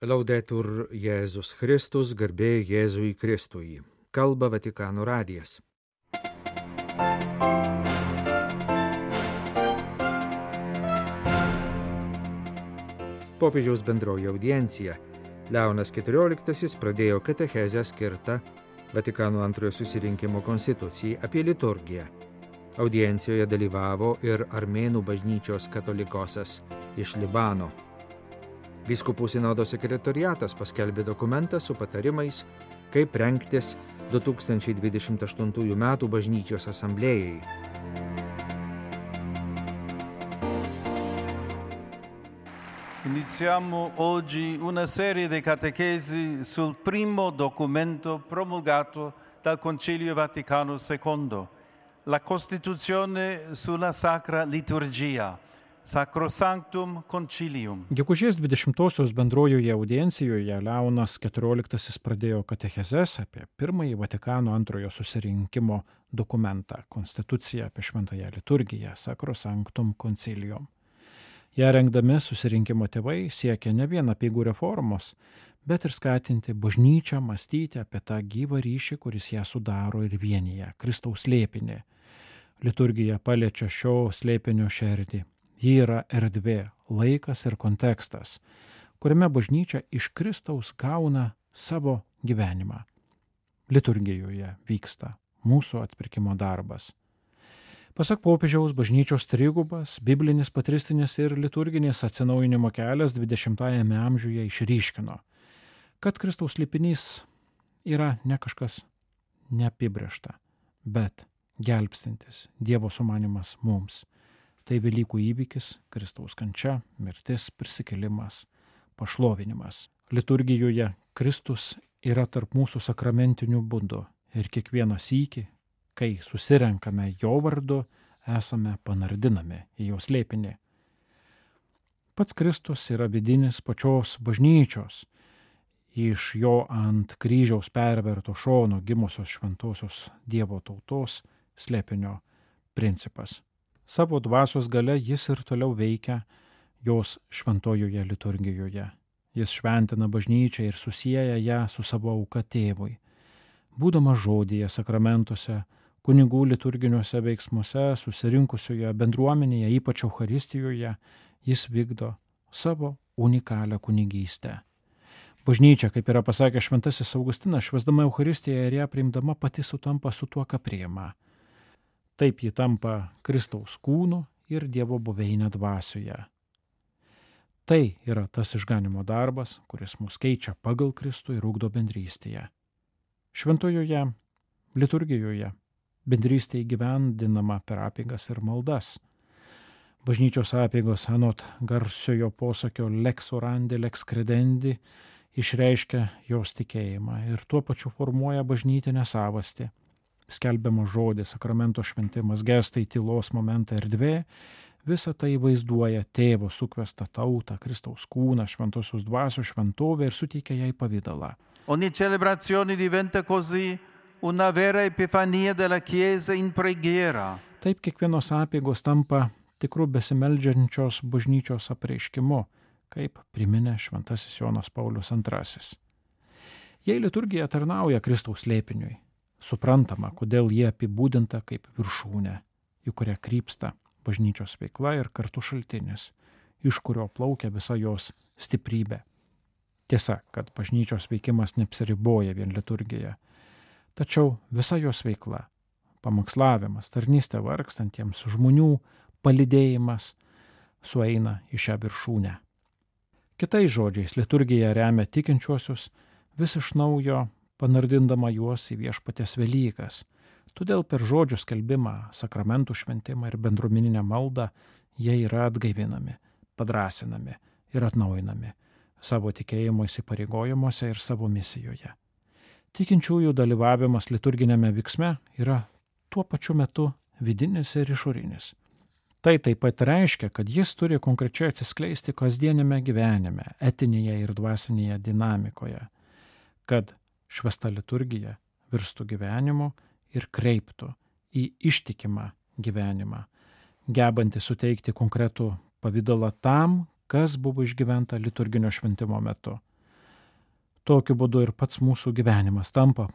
Laudetur Jėzus Kristus, garbė Jėzui Kristui. Kalba Vatikano radijas. Popiežiaus bendroji audiencija. Leonas XIV pradėjo katechezę skirtą Vatikano antrojo susirinkimo konstitucijai apie liturgiją. Audiencijoje dalyvavo ir Armėnų bažnyčios katolikosas iš Libano. Vyskupų sinodo sekretoriatas paskelbė dokumentą su patarimais, kaip rengtis 2028 metų bažnyčios asamblėjai. Iniziamo oggi una serie di catechesi sul primo documento promulgato dal Concilio Vaticano II, la Costituzione sulla Sacra Liturgia, Sacrosanctum Concilium. Gegužės 20-osios bendrojoje audiencijoje Leonas XIV pradėjo katechezes apie pirmąjį Vatikano antrojo susirinkimo dokumentą, konstituciją apie šventąją liturgiją, Sacrosanctum Concilium. Ją rengdami susirinkimo tėvai siekia ne vien apeigų reformos, bet ir skatinti bažnyčią mąstyti apie tą gyvą ryšį, kuris ją sudaro ir vienyje, Kristaus slėpinį. Liturgija paliečia šio slėpinio šerdį. Ji yra erdvė, laikas ir kontekstas, kuriame bažnyčia iš Kristaus gauna savo gyvenimą. Liturgijoje vyksta mūsų atpirkimo darbas. Pasak popiežiaus, bažnyčios trigubas, biblinis, patristinis ir liturginis atsinaujinimo kelias 20-ajame amžiuje išryškino, kad Kristaus slėpinys yra ne kažkas neapibrėžta, bet gelbstintis Dievo sumanymas mums. Tai Velykų įvykis, Kristaus kančia, mirtis, prisikėlimas, pašlovinimas. Liturgijoje Kristus yra tarp mūsų sakramentinių būdų ir kiekvieną sykį, kai susirenkame jo vardu, esame panardinami į jo slėpinį. Pats Kristus yra vidinis pačios bažnyčios, iš jo ant kryžiaus perverto šono gimusios šventosios Dievo tautos slėpinio principas. Savo dvasios gale jis ir toliau veikia jos šventojoje liturgijoje. Jis šventina bažnyčią ir susieja ją su savo auka tėvui. Būdamas žodyje, sakramentuose, kunigų liturginiuose veiksmuose, susirinkusioje bendruomenėje, ypač Eucharistijoje, jis vykdo savo unikalią kunigystę. Bažnyčia, kaip yra pasakęs šventasis Augustinas, švęsdama Eucharistiją ir ją priimdama pati sutampa su tuo, ką priima. Taip ji tampa Kristaus kūnu ir Dievo buveinė dvasioje. Tai yra tas išganimo darbas, kuris mus keičia pagal Kristų ir ugdo bendrystėje. Šventojoje liturgijoje bendrystė įgyvendinama per apeigas ir maldas. Bažnyčios apeigos anot garsiojo posakio lex orandi, lex credendi išreiškia jos tikėjimą ir tuo pačiu formuoja bažnytinę savastį. Skelbiamas žodis, sakramento šventimas, gestai, tylos momentai, erdvė, visa tai vaizduoja tėvo sukvestą tautą, Kristaus kūną, šventosios dvasios šventovę ir suteikia jai pavydalą. Ogni celebrazione diventa così una vera epifania della Chiesa in preghiera. Taip kiekvienos apeigos tampa tikru besimeldžiančios bažnyčios apreiškimu, kaip priminė šventasis Jonas Paulius II. Jei liturgija tarnauja Kristaus slėpiniui, suprantama, kodėl jie apibūdinta kaip viršūnė, į kurią krypsta bažnyčios veikla ir kartu šaltinis, iš kurio plaukia visa jos stiprybė. Tiesa, kad bažnyčios veikimas neapsiriboja vien liturgija, tačiau visa jos veikla, pamokslavimas, tarnystė vargstantiems žmonių, palydėjimas sueina į šią viršūnę. Kitais žodžiais, liturgija remia tikinčiuosius vis iš naujo panardindama juos į viešpaties Velykas. Todėl per žodžių skelbimą, sakramentų šventimą ir bendruomeninę maldą jie yra atgaivinami, padrasinami ir atnaujinami savo tikėjimo įsipareigojimuose ir savo misijoje. Tikinčiųjų dalyvavimas liturginėme veiksme yra tuo pačiu metu vidinis ir išorinis. Tai taip pat reiškia, kad jis turi konkrečiai atsiskleisti kasdienėme gyvenime, etinėje ir dvasinėje dinamikoje, kad švęsta liturgija virstų gyvenimu ir kreiptų į ištikimą gyvenimą, gebantį suteikti konkretų pavydalą tam, kas buvo išgyventa liturginio šventimo metu. Tokiu būdu ir pats mūsų gyvenimas tampa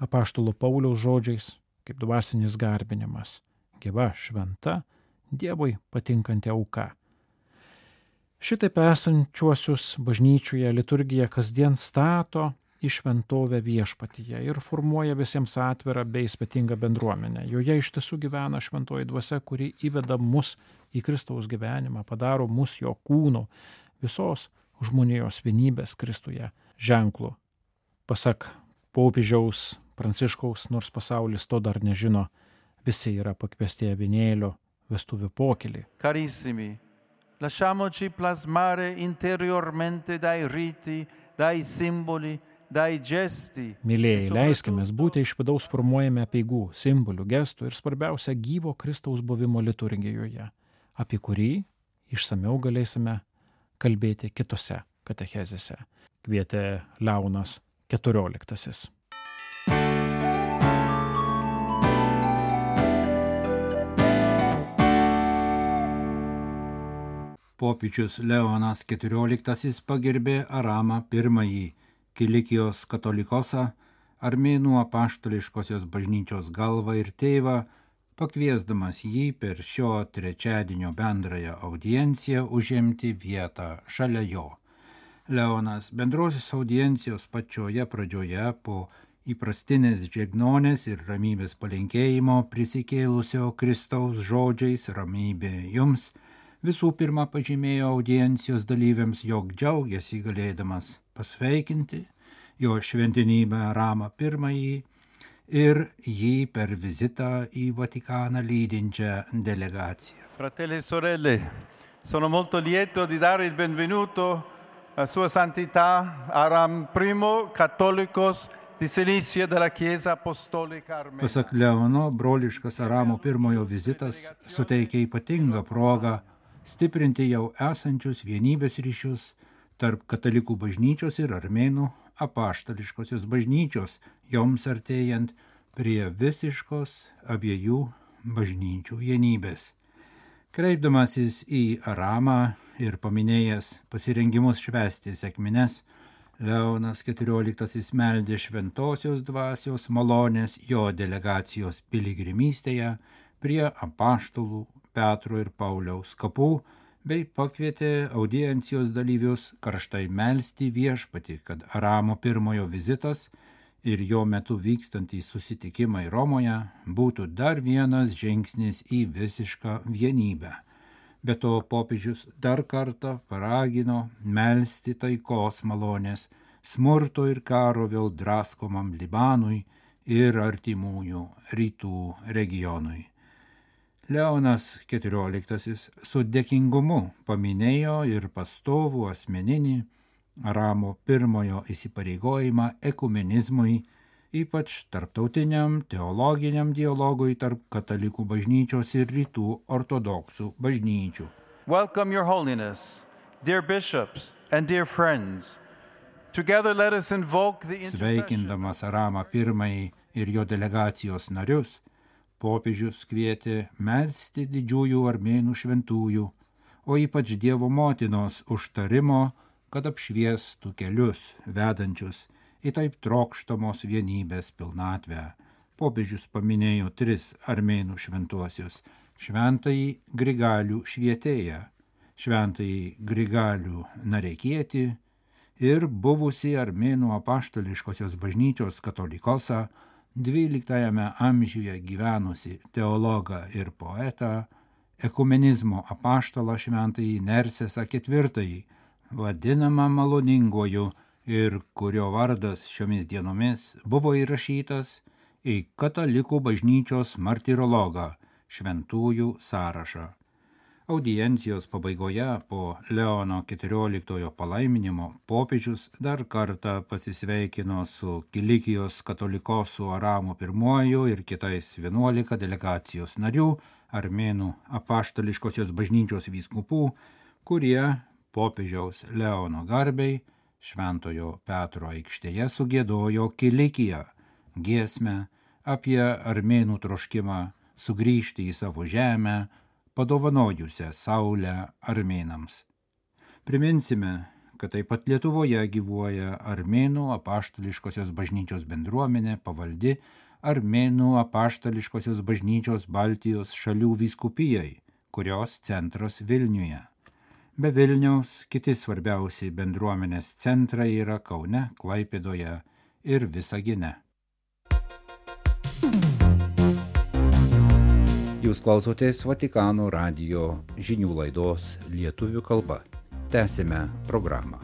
apaštalo Pauliaus žodžiais kaip dvasinis garbinimas, gyva, šventa, Dievui patinkanti auka. Šitaip esančiuosius bažnyčioje liturgija kasdien stato į šventovę viešpatyje ir formuoja visiems atvirą bei ypatingą bendruomenę. Joje iš tiesų gyvena šventoji dvasia, kuri įveda mus į Kristaus gyvenimą, padaro mus jo kūnu, visos žmonijos vienybės Kristuje ženklu. Pasak popiežiaus Pranciškaus, nors pasaulis to dar nežino, visi yra pakviesti avinėlio vestuvių pokylį. Carissimi, lasciamoci plasmare interiormente dai riti, dai simboli, dai gesti. Mylėjai, leiskimės būti iš vidaus formuojami apeigų, simbolių, gestų ir svarbiausia gyvo Kristaus buvimo liturgijoje, apie kurį išsamiau galėsime kalbėti kitose katechezėse. Kvietė Leonas XIV. Popiežius Leonas XIV pagerbė Aramą I, Kilikijos katolikosą, armėnų apaštališkosios bažnyčios galvą ir tėvą, pakviesdamas jį per šio trečiadienio bendrąją audienciją užimti vietą šalia jo. Leonas bendrosios audiencijos pačioje pradžioje po įprastinės džiagnonės ir ramybės palinkėjimo prisikėlusio Kristaus žodžiais ramybė jums, visų pirma pažymėjo audiencijos dalyviams, jog džiaugiasi galėdamas pasveikinti jo šventenybę Aramą I ir jį per vizitą į Vatikaną lydinčią delegaciją. Fratelli e sorelle, sono molto lieto di dare il benvenuto a Sua Santità Aram I, Cattolicos di Cilicia della Chiesa Apostolica Armena. Pasak Leono, broliškas Aramo I vizitas suteikia ypatingą progą stiprinti jau esančius vienybės ryšius tarp katalikų bažnyčios ir armėnų apaštališkosios bažnyčios, joms artėjant prie visiškos abiejų bažnyčių vienybės. Kreipdamasis į Aramą ir paminėjęs pasirengimus švęsti sekmines, Leonas XIV meldė šventosios dvasios malonės jo delegacijos piligrimystėje prie apaštalų Petro ir Pauliaus kapų, bei pakvietė audiencijos dalyvius karštai melsti viešpatį, kad Aramo I vizitas ir jo metu vykstantys susitikimai Romoje būtų dar vienas žingsnis į visišką vienybę. Be to popiežius dar kartą paragino melsti taikos malonės smurto ir karo vėl draskomam Libanui ir artimųjų rytų regionui. Leonas XIV su dėkingumu paminėjo ir pastovų asmeninį Aramo I įsipareigojimą ekumenizmui, ypač tarptautiniam teologiniam dialogui tarp katalikų bažnyčios ir rytų ortodoksų bažnyčių. Welcome, Your Holiness, dear bishops and dear friends. Together let us invoke the intercession. Sveikindamas Aramą I ir jo delegacijos narius, popiežius kvietė melsti didžiųjų armėnų šventųjų, o ypač Dievo motinos užtarimo, kad apšviestų kelius vedančius į taip trokštamos vienybės pilnatvę. Popiežius paminėjo 3 armėnų šventuosius – šventąjį Grigalių švietėją, šventąjį Grigalių Narekietį ir buvusį armėnų apaštališkosios bažnyčios katolikosą, 12 amžiuje gyvenusi teologą ir poetą, ekumenizmo apaštalą šventąjį Nersesą IV, vadinamą maloninguoju ir kurio vardas šiomis dienomis buvo įrašytas į katalikų bažnyčios martirologą šventųjų sąrašą. Audiencijos pabaigoje po Leono XIV palaiminimo popiežius dar kartą pasisveikino su Kilikijos katolikosų Aramu I ir kitais 11 delegacijos narių, armėnų apaštališkosios bažnyčios vyskupų, kurie popiežiaus Leono garbei Šventojo Petro aikštėje sugiedojo Kilikiją, giesmę apie armėnų troškimą sugrįžti į savo žemę, padovanojusią saulę armėnams. Priminsime, kad taip pat Lietuvoje gyvuoja Armėnų apaštališkosios bažnyčios bendruomenė pavaldi Armėnų apaštališkosios bažnyčios Baltijos šalių vyskupijai, kurios centras Vilniuje. Be Vilniaus kiti svarbiausi bendruomenės centrai yra Kaune, Klaipėdoje ir Visagine. Jūs klausotės Vatikano radijo žinių laidos lietuvių kalba. Tęsime programą.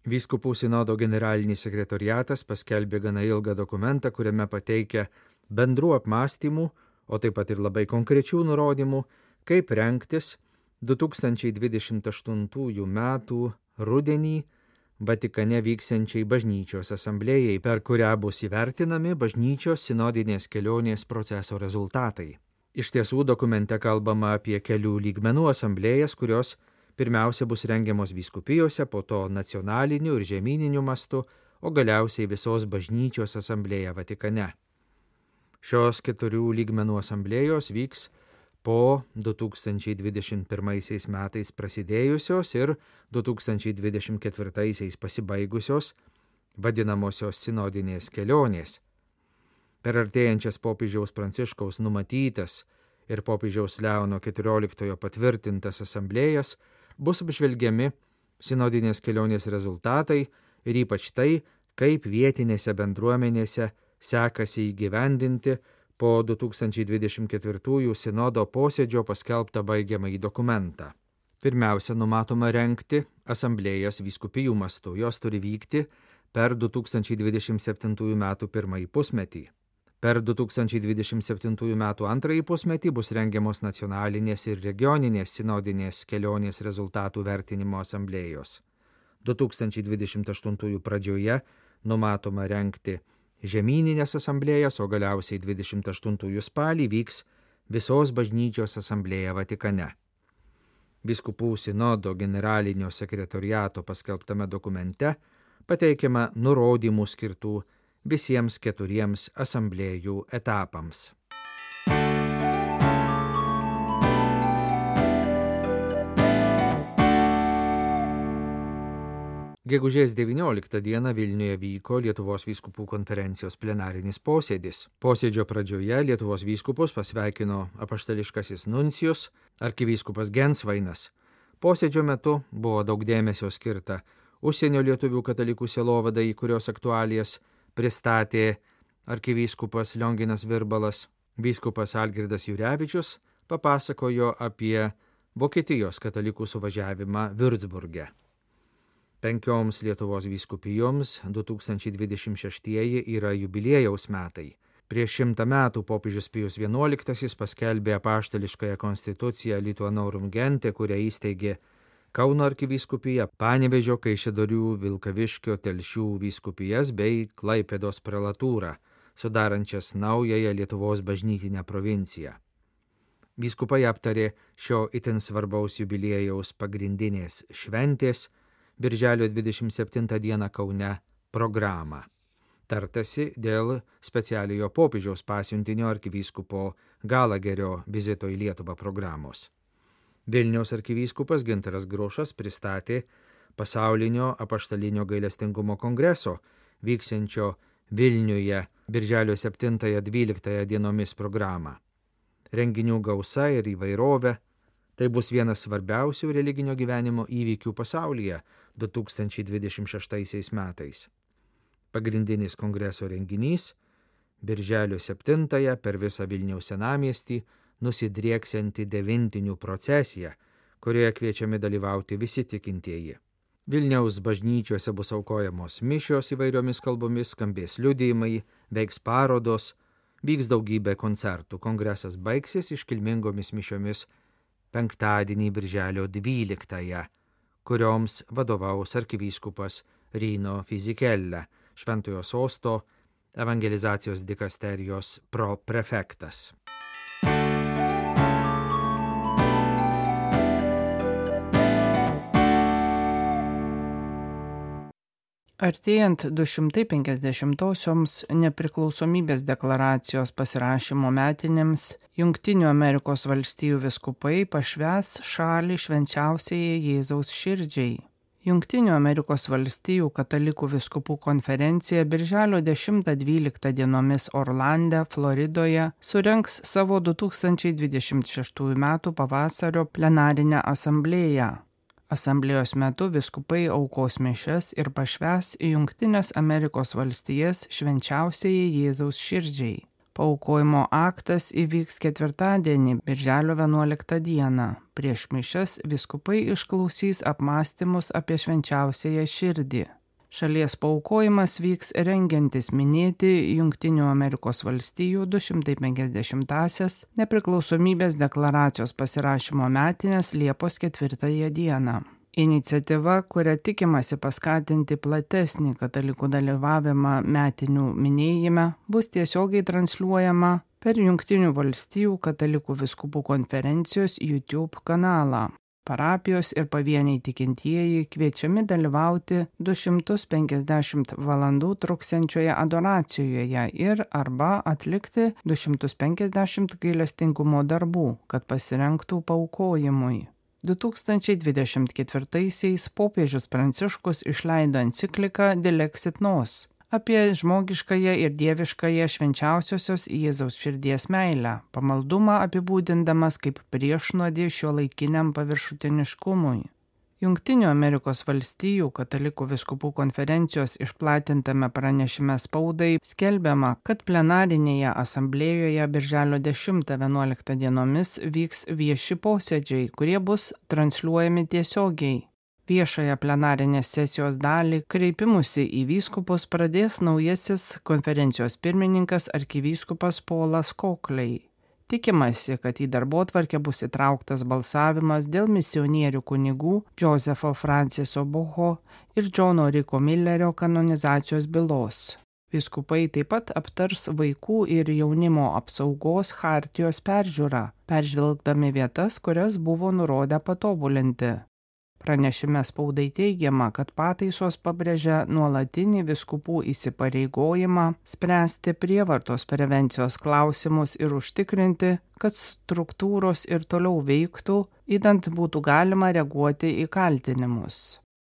Vyskupų sinodo generalinis sekretoriatas paskelbė gana ilgą dokumentą, kuriame pateikia bendrų apmąstymų, o taip pat ir labai konkrečių nurodymų, kaip rengtis 2028 metų rudenį Vatikane vyksiančiai bažnyčios asamblėjai, per kurią bus įvertinami bažnyčios sinodinės kelionės proceso rezultatai. Iš tiesų, dokumente kalbama apie kelių lygmenų asamblėjas, kurios pirmiausia bus rengiamos vyskupijose, po to nacionaliniu ir žemyniniu mastu, o galiausiai visos bažnyčios asamblėja Vatikane. Šios 4 lygmenų asamblėjos vyks po 2021 metais prasidėjusios ir 2024 pasibaigusios vadinamosios sinodinės kelionės. Per artėjančias popiežiaus Pranciškaus numatytas ir popiežiaus Leono XIV patvirtintas asamblėjas bus apžvelgiami sinodinės kelionės rezultatai ir ypač tai, kaip vietinėse bendruomenėse sekasi įgyvendinti po 2024 sinodo posėdžio paskelbtą baigiamąjį dokumentą. Pirmiausia, numatoma rengti asamblėjas vyskupijų mastu. Jos turi vykti per 2027 metų pirmąjį pusmetį. Per 2027 metų antrąjį pusmetį bus rengiamos nacionalinės ir regioninės sinodinės kelionės rezultatų vertinimo asamblėjos. 2028 pradžioje numatoma rengti žemyninės asamblėjas, o galiausiai 28 spalį vyks visos bažnyčios asamblėja Vatikane. Vyskupų sinodo generalinio sekretoriato paskelbtame dokumente pateikiama nurodymų skirtų visiems 4 asamblėjų etapams. Gegužės 19 dieną Vilniuje vyko Lietuvos vyskupų konferencijos plenarinis posėdis. Posėdžio pradžioje Lietuvos vyskupus pasveikino apaštališkasis nuncijus, arkivyskupas Gensvainas. Posėdžio metu buvo daug dėmesio skirta užsienio lietuvių katalikų sielovadai, kurios aktualijas pristatė arkivyskupas Lionginas Virbalas. Vyskupas Algirdas Jurevičius papasakojo apie Vokietijos katalikų suvažiavimą Würzburge. 5 Lietuvos vyskupijoms 2026 yra jubiliejaus metai. Prieš 100 metų popiežius Pijus XI paskelbė apaštališkąją konstituciją Lituanorum Gente, kurią įsteigė Kauno arkivyskupija, Panevėžio, Kaišiadorių, Vilkaviškio, Telšių vyskupijas bei Klaipėdos prelatūrą, sudarančias naująją Lietuvos bažnytinę provinciją. Vyskupai aptarė šio itin svarbaus jubiliejaus pagrindinės šventės Birželio 27 dieną Kaune programą. Tartasi dėl specialiojo popiežiaus pasiuntinio arkivyskupo Galagerio vizito į Lietuvą programos. Vilniaus arkivyskupas Gintaras Grušas pristatė pasaulinio apaštalinio gailestingumo kongreso vyksiančio Vilniuje Birželio 7-12 dienomis programą. Renginių gausa ir įvairovė – tai bus vienas svarbiausių religinio gyvenimo įvykių pasaulyje 2026 metais. Pagrindinis kongreso renginys – Birželio 7 per visą Vilniaus senamiestį nusidrieksianti devintinių procesija, kurioje kviečiami dalyvauti visi tikintieji. Vilniaus bažnyčiose bus aukojamos mišios įvairiomis kalbomis, skambės liudijimai, veiks parodos, vyks daugybė koncertų. Kongresas baigsis iškilmingomis mišiomis penktadienį Birželio 12, kurioms vadovaus arkivyskupas Rino Fizikelle, Šventojo Sosto evangelizacijos dikasterijos proprefektas. Artėjant 250-osioms nepriklausomybės deklaracijos pasirašymo metinėms, Jungtinių Amerikos valstijų vyskupai pašvęs šalį švenčiausiajai Jėzaus širdžiai. Jungtinių Amerikos valstijų katalikų vyskupų konferencija birželio 10-12 dienomis Orlande, Floridoje, surengs savo 2026 m. pavasario plenarinę asamblėją. Asamblėjos metu vyskupai aukos mišias ir pašvęs į Jungtines Amerikos valstijas švenčiausiajai Jėzaus širdžiai. Paaukojimo aktas įvyks ketvirtadienį, birželio 11 dieną. Prieš mišias vyskupai išklausys apmąstymus apie švenčiausiąją širdį. Šalies paaukojimas vyks rengiantis minėti Jungtinių Amerikos valstijų 250-asias nepriklausomybės deklaracijos pasirašymo metines Liepos 4 dieną. Iniciatyva, kuria tikimasi paskatinti platesnį katalikų dalyvavimą metinių minėjime, bus tiesiogiai transliuojama per Jungtinių valstijų katalikų vyskupų konferencijos YouTube kanalą. Parapijos ir pavieniai tikintieji kviečiami dalyvauti 250 valandų truksiančioje adoracijoje ir arba atlikti 250 gailestingumo darbų, kad pasirengtų paaukojimui. 2024-aisiais popiežius Pranciškus išleido encikliką Dilexit Nos apie žmogiškąją ir dieviškąją švenčiausiosios Jėzaus širdies meilę, pamaldumą apibūdindamas kaip priešnuodį šiuolaikiniam paviršutiniškumui. Jungtinių Amerikos valstijų katalikų vyskupų konferencijos išplatintame pranešime spaudai skelbiama, kad plenarinėje asamblėjoje birželio 10-11 dienomis vyks vieši posėdžiai, kurie bus transliuojami tiesiogiai. Viešąją plenarinės sesijos dalį kreipimusi į vyskupus pradės naujasis konferencijos pirmininkas arkivyskupas Polas Kokliai. Tikimasi, kad į darbotvarkę bus įtrauktas balsavimas dėl misionierių kunigų Josepho Franciso Boho ir Džono Riko Millerio kanonizacijos bylos. Vyskupai taip pat aptars vaikų ir jaunimo apsaugos chartijos peržiūrą, peržvelgdami vietas, kurias buvo nurodę patobulinti. Pranešime spaudai teigiama, kad pataisos pabrėžia nuolatinį vyskupų įsipareigojimą spręsti prievartos prevencijos klausimus ir užtikrinti, kad struktūros ir toliau veiktų, idant būtų galima reaguoti į kaltinimus.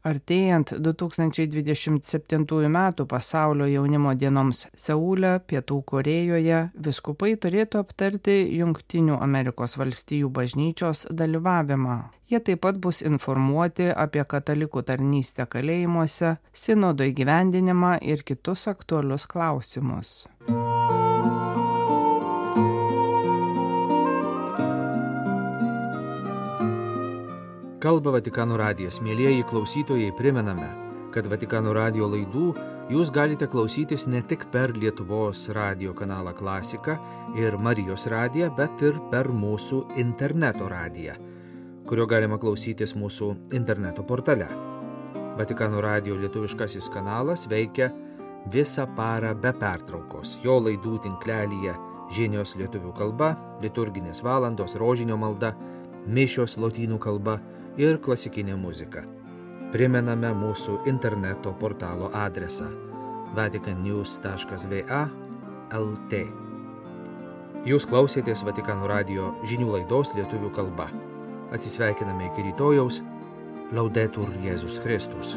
Artėjant 2027 m. pasaulio jaunimo dienoms Seule, Pietų Korėjoje, vyskupai turėtų aptarti Jungtinių Amerikos valstijų bažnyčios dalyvavimą. Jie taip pat bus informuoti apie katalikų tarnystę kalėjimuose, sinodo įgyvendinimą ir kitus aktualius klausimus. Kalba Vatikano radijas. Mielieji klausytojai, primename, kad Vatikano radijo laidų jūs galite klausytis ne tik per Lietuvos radijo kanalą Klasika ir Marijos radiją, bet ir per mūsų interneto radiją, kurio galima klausytis mūsų interneto portale. Vatikano radijo lietuviškasis kanalas veikia visą parą be pertraukos. Jo laidų tinklelyje žinios lietuvių kalba, liturginės valandos, rožinio malda, mišios lotynų kalba ir klasikinė muzika. Primename mūsų interneto portalo adresą vaticannews.va/lt. Jūs klausėtės Vatikano radijo žinių laidos lietuvių kalba. Atsisveikiname iki rytojaus. Laudetur Jėzus Kristus.